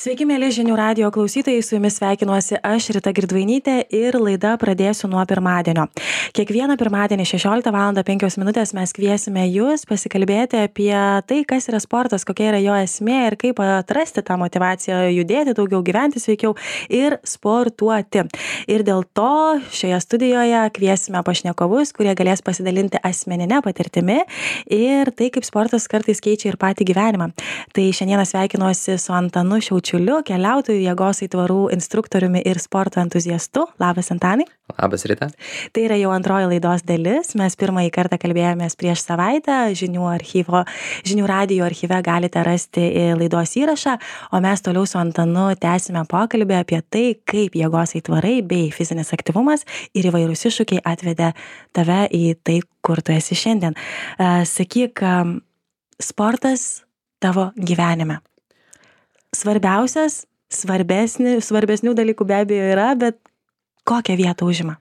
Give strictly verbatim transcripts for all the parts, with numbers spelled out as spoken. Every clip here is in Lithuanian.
Sveiki, mėly žinių radijo klausytojai, su jumis sveikinuosi aš, Rita Girdvainytė, ir laida pradėsiu nuo pirmadienio. Kiekvieną pirmadienį šešioliktą valandą penkios minutės mes kviesime jūs pasikalbėti apie tai, kas yra sportas, kokia yra jo esmė ir kaip atrasti tą motivaciją judėti daugiau, gyventi sveikiau ir sportuoti. Ir dėl to šioje studijoje kviesime pašnekovus, kurie galės pasidalinti asmeninę patirtimi ir tai, kaip sportas kartais keičia ir patį gyvenimą. Tai šiandieną sveikinuosi su Antanu Šiaučiuliu, keliautojų, jėgos aitvarų instruktoriumi ir sporto entuziastu. Labas, Antanai. Labas, Rita. Tai yra jau antroji laidos dalis. Mes pirmąjį kartą kalbėjomės prieš savaitę. Žinių, archyvo, žinių radijo archyve galite rasti laidos įrašą, o mes toliau su Antanu tęsime pokalbį apie tai, kaip jėgos aitvarai bei fizinis aktyvumas ir įvairūs iššūkiai atvedė tave į tai, kur tu esi šiandien. Sakyk, sportas tavo gyvenime. Svarbiausias, svarbesni, svarbesnių dalykų be abejo yra, bet kokią vietą užima?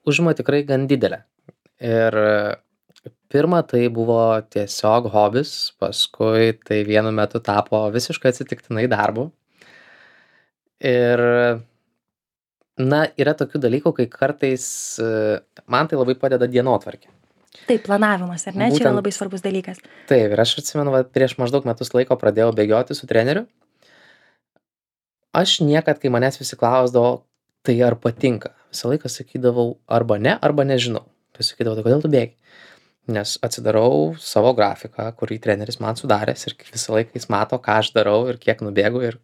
Užima tikrai gan didelę. Ir pirma, tai buvo tiesiog hobis, paskui tai vienu metu tapo visiškai atsitiktinai darbu. Ir, na, yra tokių dalykų, kai kartais man tai labai padeda dienotvarkė. Taip, planavimas, ar ne? Būtent, čia yra labai svarbus dalykas. Taip, ir aš atsimenu, va, prieš maždaug metus laiko pradėjau bėgioti su treneriu. Aš niekad, kai manęs visi klausdavo, tai ar patinka, visą laiką sakydavau arba ne, arba nežinau. Tai sakydavau, tai kodėl tu bėgi? Nes atsidarau savo grafiką, kurį treneris man sudaręs ir visą laiką jis mato, ką aš darau ir kiek nubėgu ir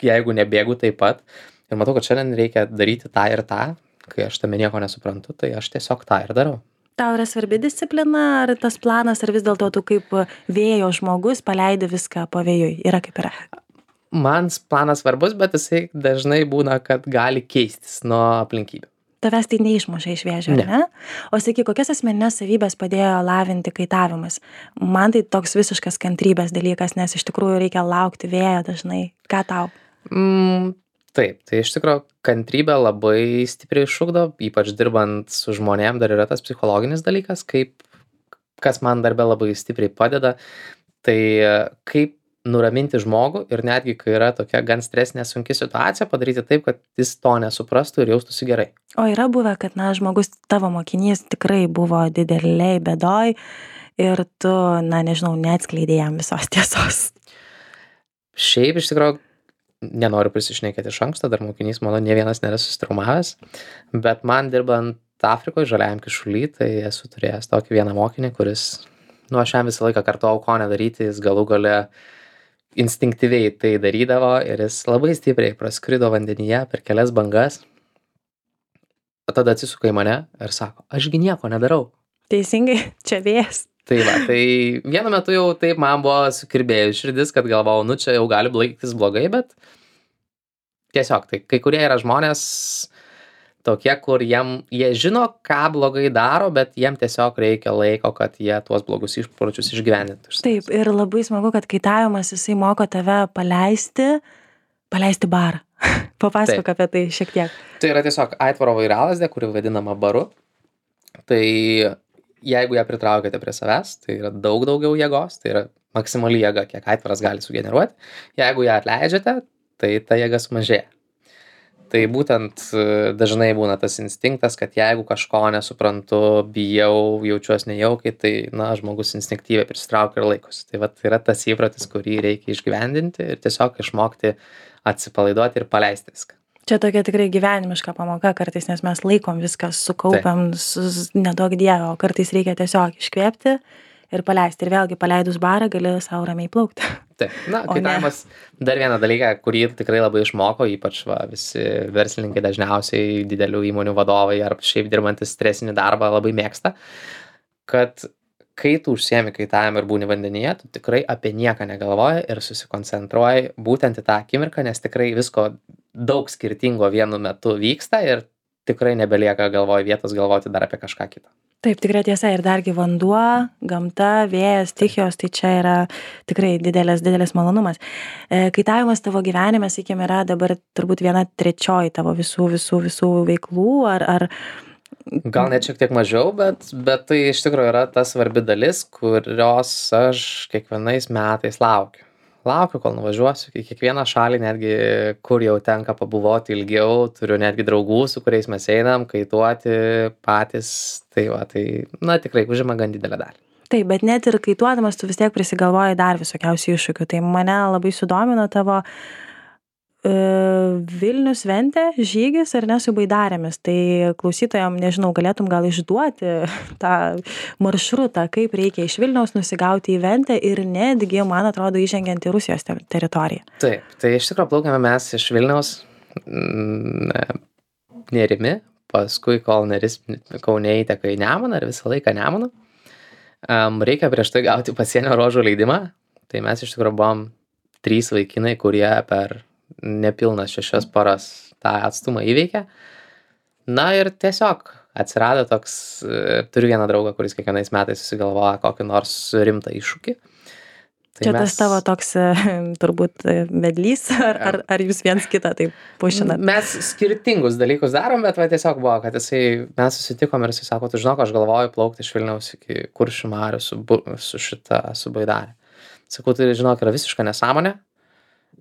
jeigu nebėgu taip pat. Ir matau, kad šiandien reikia daryti tą ir tą, kai aš tame nieko nesuprantu, tai aš tiesiog tą ir darau. Tau yra svarbi disciplina, ar tas planas, ar vis dėlto tu kaip vėjo žmogus paleidi viską pavėjui? Yra kaip yra? Man planas svarbus, bet jisai dažnai būna, kad gali keistis nuo aplinkybių. Tavęs tai neišmuša iš vėžio, ne? ne? O sakyk, kokias asmeninės savybės padėjo lavinti kaitavimas? Man tai toks visiškas kantrybės dalykas, nes iš tikrųjų reikia laukti vėjo dažnai. Ką tau? Mm, taip, tai iš tikrųjų kantrybė labai stipriai išugdo, ypač dirbant su žmonėm dar yra tas psichologinis dalykas, kaip, kas man darbe labai stipriai padeda, tai kaip nuraminti žmogų ir netgi, kai yra tokia gan stresinė sunki situacija, padaryti taip, kad jis to nesuprastų ir jaustųsi gerai. O yra buvę, kad, na, žmogus, tavo mokinys tikrai buvo dideliai bėdoj ir tu, na, nežinau, neatskleidėjai jam visos tiesos. Šiaip, iš tikrųjų, nenoriu prisišnekėti iš anksto, dar mokinys, mano, ne vienas nėra susitraumavęs, bet man dirbant Afrikoje, žaliajam kišuly, tai esu turėjęs tokį vieną mokinį, kuris, nu, aš jam visą laiką kartuojau, ko nedaryti, jis galų gale instinktyviai tai darydavo ir jis labai stipriai praskrido vandenyje per kelias bangas. O tada atsisuka į mane ir sako, ašgi nieko nedarau. Teisingai, čia vėjas. Tai va, tai vienu metu jau taip man buvo sukirbėjus širdis, kad galvojau, nu čia jau gali baigtis blogai, bet tiesiog, tai kai kurie yra žmonės tokie, kur jiem, jie žino, ką blogai daro, bet jiem tiesiog reikia laiko, kad jie tuos blogus išpročius išgyvendintų. Taip, ir labai smagu, kad kaitavimas jisai moko tave paleisti, paleisti barą. Papasakok apie tai šiek tiek. Tai yra tiesiog aitvaro vairalazdė, kuri vadinama baru. Tai jeigu ją pritraukėte prie savęs, tai yra daug daugiau jėgos, tai yra maksimali jėga, kiek aitvaras gali sugeneruoti. Jeigu ją atleidžiate, tai ta jėga sumažėja. Tai būtent dažnai būna tas instinktas, kad jeigu kažko nesuprantu, bijau, jaučiuosi nejaukiai, tai, na, žmogus instinktyviai prisitraukia ir laikosi. Tai vat yra tas įprotis, kurį reikia išgyvendinti ir tiesiog išmokti atsipalaiduoti ir paleisti viską. Čia tokia tikrai gyvenimiška pamoka kartais, nes mes laikom viską, sukaupiam, nedaug dievą, o kartais reikia tiesiog iškvėpti ir paleisti. Ir vėlgi paleidus barą gali savo ramiai plaukti. Taip, na, kaitavimas dar vieną dalyką, kurį tikrai labai išmoko, ypač va, visi verslininkai dažniausiai didelių įmonių vadovai ar šiaip dirbantis stresinį darbą labai mėgsta, kad kai tu užsiemi kaitavimu ir būni vandenyje, tu tikrai apie nieką negalvoji ir susikoncentruoji būtent į tą akimirką, nes tikrai visko daug skirtingo vienu metu vyksta ir tikrai nebelieka galvoj vietos galvoti dar apie kažką kitą. Taip, tikrai tiesa, ir dargi vanduo, gamta, vėjas, stichijos, tai čia yra tikrai didelis, didelis malonumas. Kaitavimas tavo gyvenime, sakykime, yra dabar turbūt viena trečioji tavo visų, visų, visų veiklų, ar, ar Gal net šiek tiek mažiau, bet, bet tai iš tikrųjų yra ta svarbi dalis, kurios aš kiekvienais metais laukiu. laukiu, kol nuvažiuosiu į kiekvieną šalį, netgi kur jau tenka pabuvoti ilgiau, turiu netgi draugų, su kuriais mes einam, kaituoti patys, tai va, tai, na, tikrai užima gan didelę dalį. Taip, bet net ir kaituodamas tu vis tiek prisigalvoji dar visokiausių iššūkių, tai mane labai sudomino tavo e, Vilnius Ventė žygis ar ne su baidarėmis, tai klausytojam, nežinau, galėtum gal išduoti tą maršrutą, kaip reikia iš Vilniaus nusigauti į Ventę ir netgi, man atrodo, įžengiant į Rusijos te teritoriją. Taip, tai iš tikrųjų plaukėme mes iš Vilniaus mm, Nerimi, paskui kol Neris Kaune įteka į Nemuną ir visą laiką Nemuną. Um, reikia prieš tai gauti pasienio ruožų leidimą, tai mes iš tikrųjų buvom trys vaikinai, kurie per nepilnas šešias paras tą atstumą įveikė. Na ir tiesiog atsirado toks, turiu vieną draugą, kuris kiekvienais metais susigalvoja kokį nors rimtą iššūkį. Tai Čia mes, tas tavo toks turbūt vedlys, ar, ar, ar jūs viens kitą taip pušinat? Mes skirtingus dalykus darom, bet va tiesiog buvo, kad jisai, mes susitikom ir jisai sako, tu žinok, aš galvoju plaukti iš Vilniaus iki Kuršių marių su, su šita, su baidarė. Sakau, tai žinok, yra visiška nesąmonė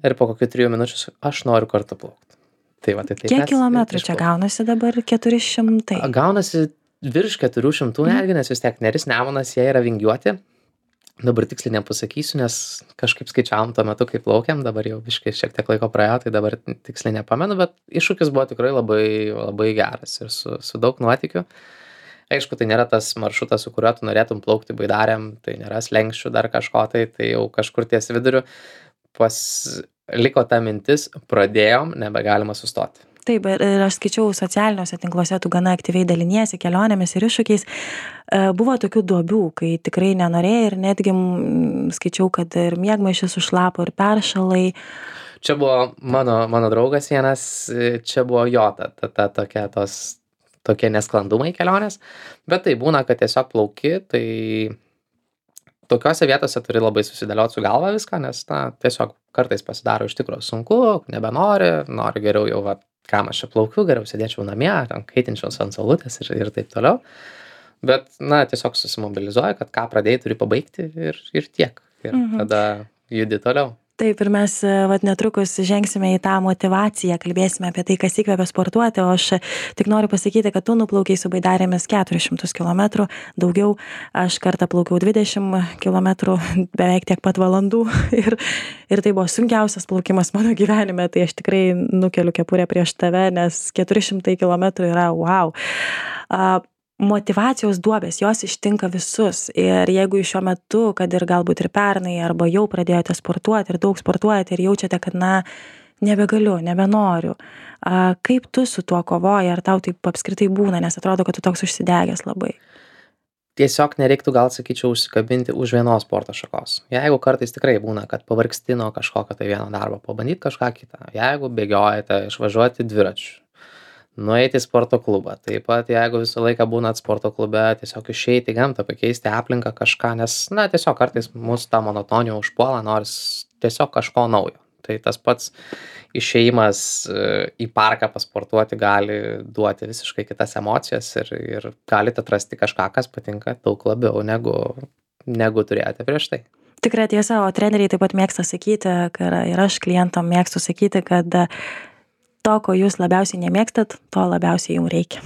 ir po kokių trijų minučių aš noriu kartu plaukti. Tai va, tai taip. Kiek kilometrų čia gaunasi dabar? keturi šimtai? Gaunasi virš keturių šimtų netgi, nes vis tiek Neris Nemunas, jie yra vingiuoti. Dabar tiksliai nepasakysiu, nes kažkaip skaičiavom tuo metu, kai plaukiam, dabar jau biškai šiek tiek laiko praėjo, tai dabar tiksliai nepamenu, bet iššūkis buvo tikrai labai, labai geras ir su, su daug nuotykių. Aišku, tai nėra tas maršrutas, su kuriuo tu norėtum plaukti baidarėm, tai nėra slenkščių dar kažko, tai, tai jau kažkur ties viduriu pas liko ta mintis, pradėjom, nebegalima sustoti. Taip, ir aš skaičiau socialiniuose tinkluose, tu gana aktyviai daliniesi kelionėmis ir iššūkiais. Buvo tokių duobių, kai tikrai nenorėjai ir netgi skaičiau, kad ir miegmaišis užlapo ir peršalai. Čia buvo mano, mano draugas vienas, čia buvo jo, ta, ta, ta tokia, tos, tokie nesklandumai kelionės, bet tai būna, kad tiesiog plauki, tai tokiose vietose turi labai susidėlioti su galva viską, nes na, tiesiog kartais pasidaro iš tikrųjų sunku, nebenori, nori geriau jau, va, kam aš čia plaukiu, geriau sėdėčiau namie, kaitinčiaus ant saulutės ir, ir taip toliau. Bet, na, tiesiog susimobilizuoja, kad ką pradėjai, turi pabaigti ir, ir tiek. Ir mhm. tada judi toliau. Taip, ir mes vat, netrukus žengsime į tą motivaciją, kalbėsime apie tai, kas įkvepia sportuoti, o aš tik noriu pasakyti, kad tu nuplaukiai su baidarėmis keturis šimtus kilometrų, daugiau, aš kartą plaukiau dvidešimt kilometrų, beveik tiek pat valandų ir, ir tai buvo sunkiausias plaukimas mano gyvenime, tai aš tikrai nukeliu kepurę prieš tave, nes keturi šimtai kilometrų yra wow. Uh, Motivacijos duobės, jos ištinka visus ir jeigu šiuo metu, kad ir galbūt ir pernai, arba jau pradėjote sportuoti ir daug sportuojate ir jaučiate, kad na, nebegaliu, nebenoriu, a, kaip tu su tuo kovoji, ar tau taip apskritai būna, nes atrodo, kad tu toks užsidegęs labai? Tiesiog nereiktų gal, sakyčiau, užsikabinti už vienos sporto šakos. Jeigu kartais tikrai būna, kad pavargsti nuo kažkokio tai vieno darbo, pabandyti kažką kitą. Jeigu bėgiojate, išvažiuoti dviračiu, nueiti į sporto klubą. Taip pat, jeigu visą laiką būnat sporto klube, tiesiog išeiti į gamtą, pakeisti aplinką kažką, nes, na, tiesiog kartais mūsų tą monotoniją užpuola, nors tiesiog kažko naujo. Tai tas pats išėjimas į parką pasportuoti gali duoti visiškai kitas emocijas ir, ir galite atrasti kažką, kas patinka daug labiau negu, negu turėjote prieš tai. Tikrai tiesa, o treneriai taip pat mėgsta sakyti, ir aš klientam mėgstu sakyti, kad to, ko jūs labiausiai nemėgstat, to labiausiai jums reikia.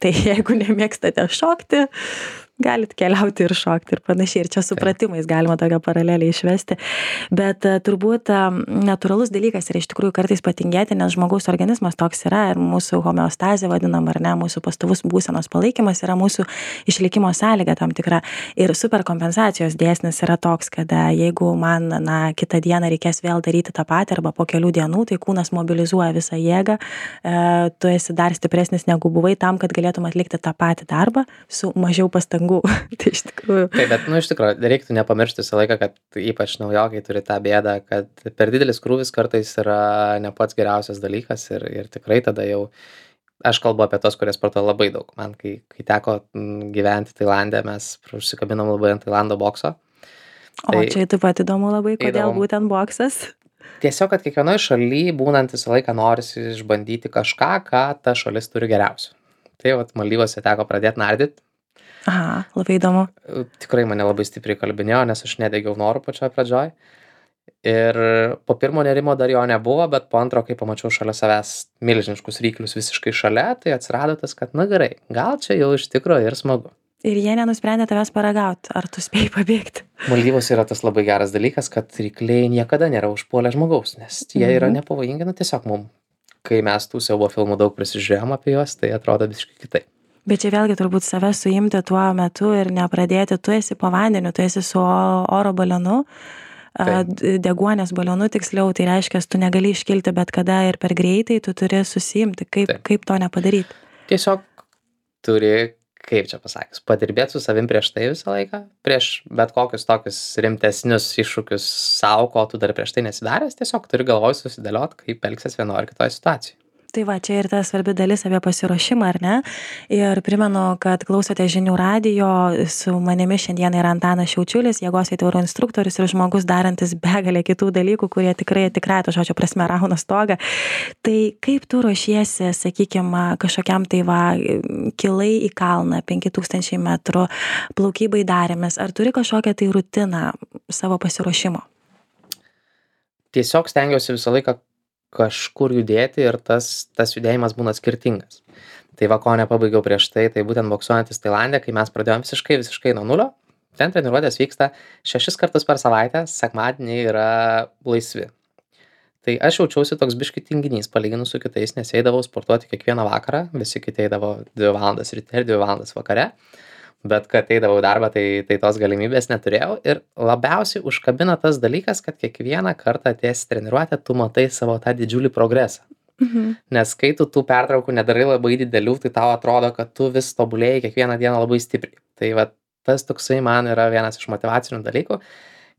Tai jeigu nemėgstate šokti, galit keliauti ir šokti ir panašiai. Ir čia supratimais galima tokią paralelę išvesti. Bet turbūt natūralus dalykas yra iš tikrųjų kartais patingėti, nes žmogaus organizmas toks yra ir mūsų homeostazė vadinam, ar ne, mūsų pastovus būsenos palaikymas yra mūsų išlikimo sąlyga tam tikra. Ir superkompensacijos dėsnis yra toks, kad jeigu man na, kitą dieną reikės vėl daryti tą patį arba po kelių dienų, tai kūnas mobilizuoja visą jėgą, e, tu esi dar stipresnis negu buvai tam, kad galėtum atlikti tą patį darbą su mažiau pastangų. Tai iš tikrųjų. Taip, bet, nu, iš tikrųjų, reiktų nepamiršti visą laiką, kad ypač naujokai turi tą bėdą, kad per didelis krūvis kartais yra ne pats geriausias dalykas ir, ir tikrai tada jau, aš kalbu apie tos, kurie sportuoja labai daug. Man, kai, kai teko gyventi Tailande, mes užsikabinom labai ant Tailando bokso. O tai, čia taip pat įdomu labai, kodėl įdomu. Būtent boksas? Tiesiog, kad kiekvienoje šalyje būnant visą laiką norisi išbandyti kažką, ką ta šalis turi geriausių. Tai vat Maldyvose teko pradėti nardyti. Aha, labai įdomu. Tikrai mane labai stipriai kalbinėjo, nes aš nedegiau norų pačioj pradžioj. Ir po pirmo nerimo dar jo nebuvo, bet po antro, kai pamačiau šalia savęs milžiniškus ryklius visiškai šalia, tai atsirado tas, kad na gerai, gal čia jau iš tikrųjų ir smagu. Ir jie nenusprendė tavęs paragauti, ar tu spėjai pabėgti? Maldyvos yra tas labai geras dalykas, kad rykliai niekada nėra užpuolę žmogaus, nes jie yra Mhm. nepavojingi, nu tiesiog mum. Kai mes tų siaubo filmų daug prisižiūrėjom apie juos, tai atrodo visiškai kitaip. Bet čia vėlgi turbūt save suimti tuo metu ir nepradėti, tu esi po vandeniu, tu esi su o- oro balionu, a, Taip. d- deguonies balionu tiksliau, tai reiškia, tu negali iškilti bet kada ir per greitai, tu turi susiimti, kaip, Taip. kaip to nepadaryti. Tiesiog turi, kaip čia pasakius, padirbėti su savim prieš tai visą laiką, prieš bet kokius tokius rimtesnius iššūkius savo, ko tu dar prieš tai nesidaręs, tiesiog turi galvoj susidėliot, kaip elgsies vienoje ar kitoje situacijoje. Tai va, čia ir ta svarbi dalis apie pasiruošimą, ar ne? Ir primenu, kad klausote žinių radijo, su manimi šiandien yra Antanas Šiaučiulis, jėgos aitvarų instruktorius ir žmogus darantis begalę kitų dalykų, kurie tikrai, tikrai to žodžio prasme rauna stogą. Tai kaip tu ruošiesi, sakykime, kažkokiam tai va, kilai į kalną, penki tūkstančiai metrų, plaukybai darėmės, ar turi kažkokią tai rutiną savo pasiruošimo? Tiesiog stengiuosi visą laiką kažkur judėti ir tas, tas judėjimas būna skirtingas. Tai va, ko nepabaigiau prieš tai, tai būtent boksuojantis Tailande, kai mes pradėjom visiškai, visiškai nuo nulio. Ten treniruotės vyksta šešis kartus per savaitę, sekmadieniai yra laisvi. Tai aš jaučiausi toks biški tinginys palyginus su kitais, nes eidavau sportuoti kiekvieną vakarą, visi kiti eidavo dvi valandas ryte ir dvi valandas vakare. Bet kad eidavau į darbą, tai, tai tos galimybės neturėjau. Ir labiausiai užkabina tas dalykas, kad kiekvieną kartą atėjęs į treniruotę, tu matai savo tą didžiulį progresą. Mhm. Nes kai tu tų pertraukų nedarai labai didelių, tai tau atrodo, kad tu vis tobulėjai kiekvieną dieną labai stipriai. Tai va, tas toksai man yra vienas iš motyvacinių dalykų,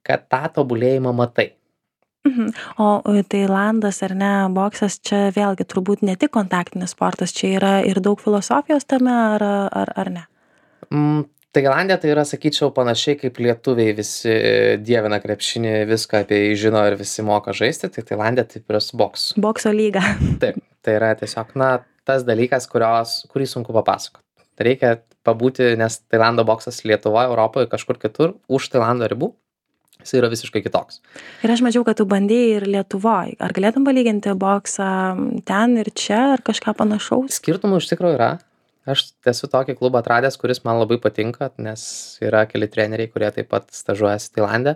kad tą tobulėjimą matai. Mhm. O o Tailandas ar ne, boksas čia vėlgi turbūt ne tik kontaktinis sportas, čia yra ir daug filosofijos tame, ar, ar, ar ne? Mm, Tailandė tai yra, sakyčiau, panašiai kaip lietuviai visi dievina krepšinį, viską apie jį žino ir visi moka žaisti, tai Tailandė taip yra su boksu. Bokso lyga. Taip, tai yra tiesiog, na, tas dalykas, kurios, kurį sunku papasakoti. Reikia pabūti, nes Tailando boksas Lietuvoje, Europoje, kažkur kitur, už Tailando ribų, jis yra visiškai kitoks. Ir aš mačiau, kad tu bandėjai ir Lietuvoje. Ar galėtum palyginti boksą ten ir čia, ar kažką panašaus? Skirtumų iš tikrųjų yra. Aš esu tokį klubą atradęs, kuris man labai patinka, nes yra keli treneriai, kurie taip pat stažuojasi Tailande.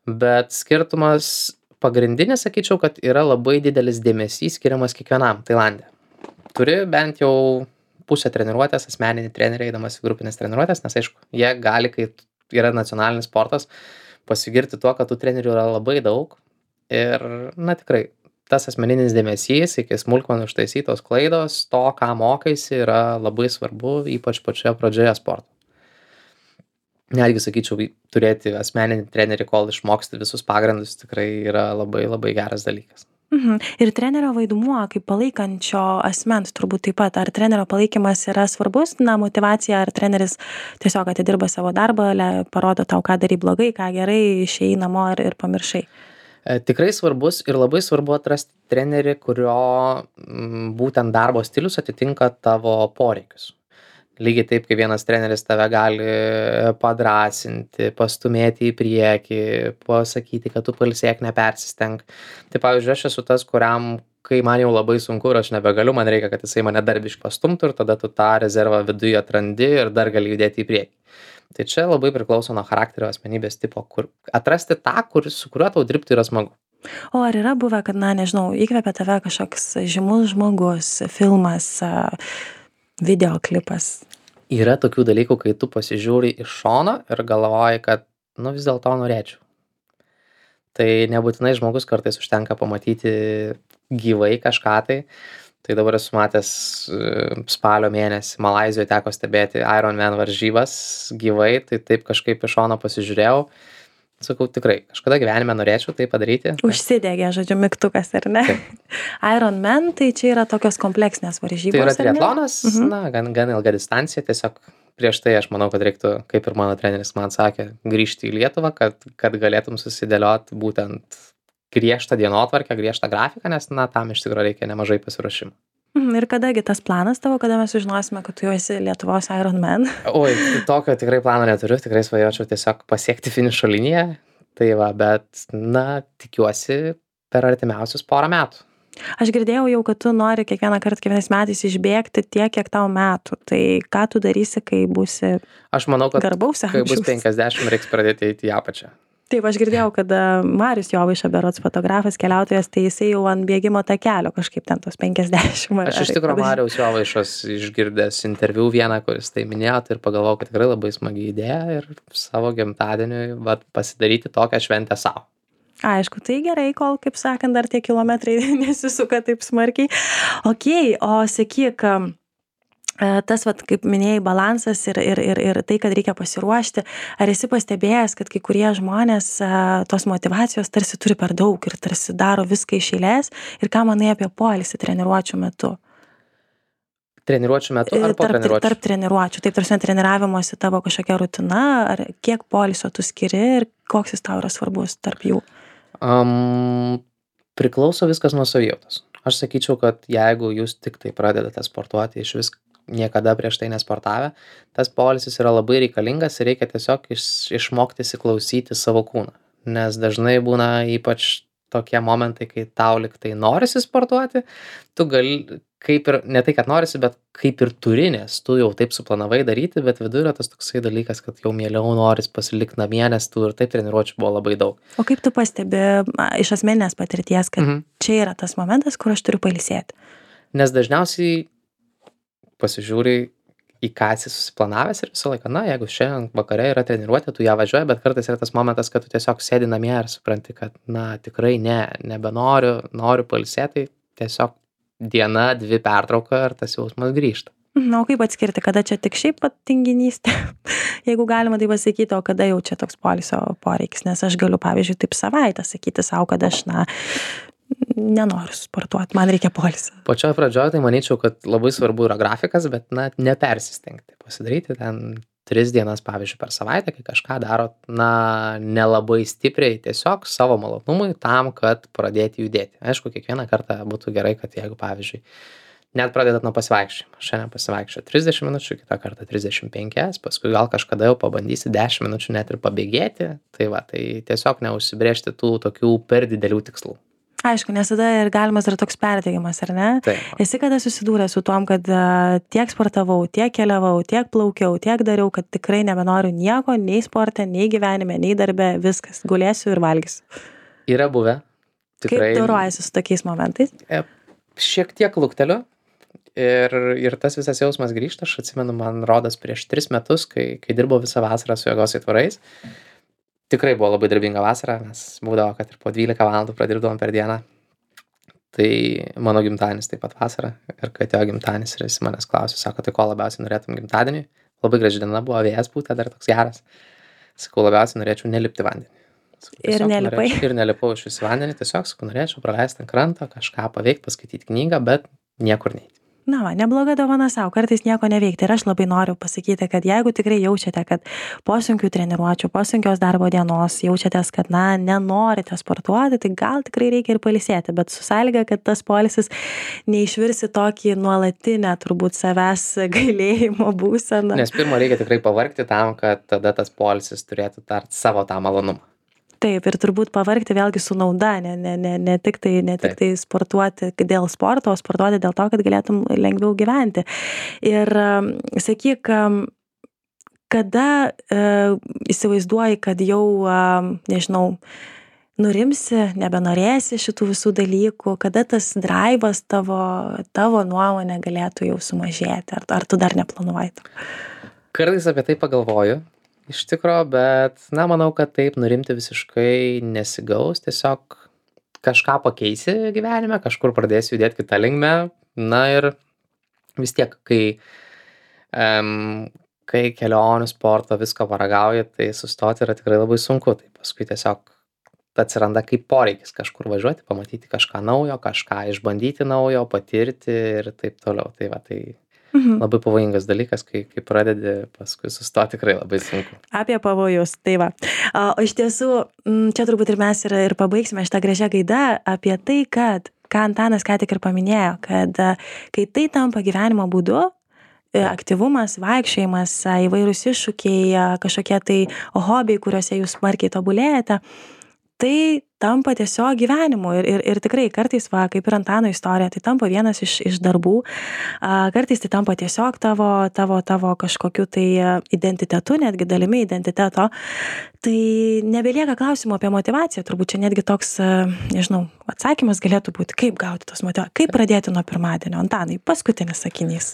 Bet skirtumas pagrindinis, sakyčiau, kad yra labai didelis dėmesys skiriamas kiekvienam Tailande. Turi bent jau pusę treniruotės, asmeninį trenerį, eidamas į grupinės treniruotės, nes aišku, jie gali, kai yra nacionalinis sportas, pasigirti tuo, kad tų trenerių yra labai daug. Ir, na tikrai, tas asmeninis dėmesys iki smulkmenų ištaisytos klaidos, to, ką mokaisi, yra labai svarbu, ypač pačioje pradžioje sporto. Netgi, sakyčiau, turėti asmeninį trenerį, kol išmoksti visus pagrindus, tikrai yra labai labai geras dalykas. Mhm. Ir trenerio vaidmuo kaip palaikančio asmens turbūt taip pat. Ar trenerio palaikymas yra svarbus, na, motyvacija, ar treneris tiesiog atidirba savo darbą, le, parodo tau, ką darai blogai, ką gerai, išėjai namo ir, ir pamiršai? Tikrai svarbus ir labai svarbu atrasti trenerį, kurio m, būtent darbo stilius atitinka tavo poreikius. Lygiai taip, kai vienas treneris tave gali padrasinti, pastumėti į priekį, pasakyti, kad tu pailsėk, nepersistenk. Tai pavyzdžiui, aš esu tas, kuriam, kai man jau labai sunku ir aš nebegaliu, man reikia, kad jisai mane darbiškai pastumtų ir tada tu tą rezervą viduje atrandi ir dar gali judėti į priekį. Tai čia labai priklauso nuo charakterio, asmenybės tipo, kur atrasti tą, kur, su kuriuo tau dirbti yra smagu. O ar yra buvę, kad, na, nežinau, įkvepia tave kažkoks žymus žmogus, filmas, videoklipas? Yra tokių dalykų, kai tu pasižiūri iš šono ir galvoji, kad, nu, vis dėlto norėčiau. Tai nebūtinai žmogus, kartais užtenka pamatyti gyvai kažką tai. Tai dabar esu matęs spalio mėnesį Malaizijoje teko stebėti Ironman varžybas gyvai, tai taip kažkaip iš šono pasižiūrėjau. Sakau, tikrai, kažkada gyvenime norėčiau tai padaryti. Užsidegė, žodžiu, mygtukas, ar ne? Ironman, tai čia yra tokios kompleksinės varžybos. Tai yra triatlonas, mhm. na, gan, gan ilga distancija, tiesiog prieš tai aš manau, kad reiktų, kaip ir mano treneris man sakė, grįžti į Lietuvą, kad, kad galėtum susidėlioti būtent griežtą dienotvarkę, griežtą grafiką, nes, na, tam iš tikrųjų reikia nemažai pasiruošimų. Ir kadagi tas planas tavo, kada mes sužinosime, kad tu jau esi Lietuvos Ironman? Oi, tokio tikrai plano neturiu, tikrai svajočiau tiesiog pasiekti finišo liniją. Tai va, bet, na, tikiuosi per artimiausius porą metų. Aš girdėjau jau, kad tu nori kiekvieną kartą, kiekvienais metais išbėgti tiek, kiek tau metų. Tai ką tu darysi, kai būsi Aš manau, kad garbaus kai bus amžiaus? penkiasdešimt, reiks pradėti eiti į apačią. Taip, aš girdėjau, kad a, Marius Jovaiša, berods fotografas, keliautojas, tai jisai jau ant bėgimo takelio kažkaip ten tos penkiasdešimt. ar- Aš iš ar- tikrųjų ar- Mariaus Jovaišos išgirdęs interviu vieną, kuris tai minėjo, tai ir pagalvojau, kad tikrai labai smagi idėja ir savo gimtadieniui vat, pasidaryti tokią šventę savo. Aišku, tai gerai, kol, kaip sakant, dar tie kilometrai nesisuka taip smarkiai. Ok, o sakyk, am, e, tas, vat, kaip minėjai, balansas ir, ir, ir, ir tai, kad reikia pasiruošti. Ar esi pastebėjęs, kad kai kurie žmonės e, tos motyvacijos tarsi turi per daug ir tarsi daro viską iš eilės? Ir ką manai apie poilsį treniruočių metu? Treniruočių metu E, ar po Tarp, treniruočių? tarp treniruočių. Taip, tarsi treniravimosi tavo kažkokia rutina, ar kiek poilsio tu skiri ir koks jis tau yra svarbus tarp jų? Um, priklauso viskas nuo savijautos. Aš sakyčiau, kad jeigu jūs tik tai pradedate sportuoti, iš vis niekada prieš tai nesportavę, tas poilsis yra labai reikalingas ir reikia tiesiog iš, išmokti įsiklausyti savo kūną. Nes dažnai būna ypač tokie momentai, kai tau lyg tai norisi sportuoti, tu gali, kaip ir, ne tai, kad norisi, bet kaip ir turi, nes tu jau taip suplanavai daryti, bet viduje yra tas toksai dalykas, kad jau mieliau noris pasilikti namie, nes tu ir taip treniruočių buvo labai daug. O kaip tu pastebi a, iš asmeninės patirties, kad Mhm. čia yra tas momentas, kur aš turiu pailsėti? Nes dažniausiai pasižiūri į ką esi susiplanavęs ir visą laiką, na, jeigu šiandien vakare yra treniruotė, tu ją važiuoji, bet kartais yra tas momentas, kad tu tiesiog sėdi namie ir supranti, kad, na, tikrai ne, nebenoriu, noriu pailsėti, tiesiog diena, dvi pertrauka ir tas jausmas grįžta. Na, o kaip atskirti, kada čia tik šiaip pat tinginystė, jeigu galima tai pasakyti, o kada jau čia toks poilsio poreikis, nes aš galiu, pavyzdžiui, taip savaitę sakyti savo, kad aš, na, nenoriu sportuoti, man reikia poilsio. Pačioje pradžioje tai manyčiau, kad labai svarbu yra grafikas, bet, na, nepersistengti. Pasidaryti ten tris dienas, pavyzdžiui, per savaitę, kai kažką darot, na, nelabai stipriai, tiesiog savo malonumui tam, kad pradėti judėti. Aišku, kiekvieną kartą būtų gerai, kad jeigu, pavyzdžiui, net pradedat nuo pasivaikščiojimo. Šiandien pasivaikščio trisdešimt minučių, kitą kartą trisdešimt penkias, paskui gal kažkada jau pabandysi dešimt minučių net ir pabėgėti. Tai va, tai tiesiog neužsibrėžti tų tokių per didelių tikslų. Aišku, nes tada ir galimas yra toks perdegimas, ar ne? Taip. Esi kada susidūręs su tom, kad a, tiek sportavau, tiek keliavau, tiek plaukiau, tiek dariau, kad tikrai nebenoriu nieko, nei sporte, nei gyvenime, nei darbe, viskas, gulėsiu ir valgysiu. Yra buvę. Tikrai. Kaip dorojasi su tokiais momentais? E, Šiek tiek lukteliu ir, ir tas visas jausmas grįžta. Aš atsimenu, man rodas prieš tris metus, kai, kai dirbau visą vasarą su jėgos aitvarais. Tikrai buvo labai darbinga vasara, nes būdavo, kad ir po dvylika valandų pradirbdavom per dieną. Tai mano gimtadienis taip pat vasara. Ir kai atėjo gimtadienis ir jis manęs klausė, sako, tai ko labiausiai norėtum gimtadienį? Labai graži diena buvo, vėjas būtų dar toks geras. Sakau, labiausiai norėčiau nelipti vandenį. Sakau, Ir tiesiog nelipai? norėčiau- Ir nelipau iš vis vandenį, tiesiog sakau, norėčiau praleisti ant kranto, kažką paveikti, paskaityti knygą, bet niekur neiti. Na, va, nebloga dovana savo, kartais nieko neveikti. Ir aš labai noriu pasakyti, kad jeigu tikrai jaučiate, kad po sunkių treniruočių, po sunkios darbo dienos jaučiatės, kad, na, nenorite sportuoti, tai gal tikrai reikia ir pailsėti, bet su sąlyga, kad tas poilsis neišvirsi tokį nuolatinę, turbūt savęs gailėjimo būseną. Nes pirma reikia tikrai pavargti tam, kad tada tas poilsis turėtų tart savo tą malonumą. Taip, ir turbūt pavargti vėlgi su nauda, ne, ne, ne, ne tik tai, ne tik Taip. tai sportuoti dėl sporto, o sportuoti dėl to, kad galėtum lengviau gyventi. Ir um, sakyk, um, kada uh, įsivaizduoji, kad jau, um, nežinau, nurimsi, nebenorėsi šitų visų dalykų, kada tas draivas tavo, tavo nuomonė galėtų jau sumažėti, ar, ar tu dar neplanuoji to? Kartais apie tai pagalvoju, iš tikro, bet, na, manau, kad taip nurimti visiškai nesigaus, tiesiog kažką pakeisi gyvenime, kažkur pradėsi judėti kitą linkmę, na ir vis tiek, kai, um, kai kelionių sporto visko paragauji, tai sustoti yra tikrai labai sunku, tai paskui tiesiog atsiranda kaip poreikis kažkur važiuoti, pamatyti kažką naujo, kažką išbandyti naujo, patirti ir taip toliau, tai va, tai Mhm. labai pavojingas dalykas, kai, kai pradedi, paskui sustoti tikrai labai sunku. Apie pavojus, tai va. O iš tiesų, m, čia turbūt ir mes ir, ir pabaigsime šitą gražią gaidą apie tai, kad, ką Antanas ką tik ir paminėjo, kad a, kai tai tampa gyvenimo būdu, aktyvumas, vaikščiojimas, įvairūs iššūkiai, kažkokie tai hobiai, kuriuose jūs smarkiai tobulėjate, tai tampa tiesiog gyvenimu ir, ir, ir tikrai kartais, va, kaip ir Antano istorija, tai tampa vienas iš, iš darbų, kartais tai tampa tiesiog tavo, tavo, tavo kažkokiu tai identitetu, netgi dalimi identiteto, tai nebelieka klausimų apie motivaciją, turbūt čia netgi toks, nežinau, atsakymas galėtų būti, kaip gauti tos motyvacijos, kaip pradėti nuo pirmadienio. Antanai, paskutinis sakinys.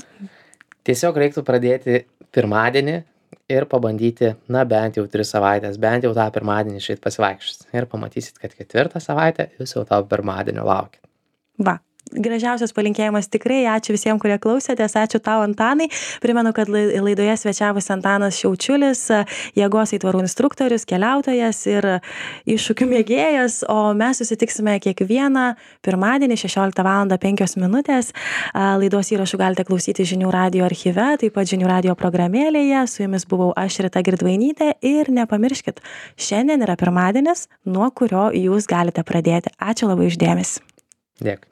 Tiesiog reiktų pradėti pirmadienį ir pabandyti, na, bent jau tris savaitės, bent jau tą pirmadienį išeit pasivaikščioti. Ir pamatysit, kad ketvirtą savaitę jūs jau to pirmadienio laukit. Va. Gražiausias palinkėjimas tikrai, ačiū visiems, kurie klausėtės, ačiū tau, Antanai. Primenu, kad laidoje svečiavosi Antanas Šiaučiulis, jėgos aitvarų instruktorius, keliautojas ir iššūkių mėgėjas, o mes susitiksime kiekvieną pirmadienį šešioliktą valandą penkios minutės. Laidos įrašų galite klausyti Žinių radijo archyve, taip pat Žinių radijo programėlėje. Su jumis buvau aš, Rita Girdvainytė, ir nepamirškit, šiandien yra pirmadienis, nuo kurio jūs galite pradėti. Ačiū labai už dėmesį. Dėkui.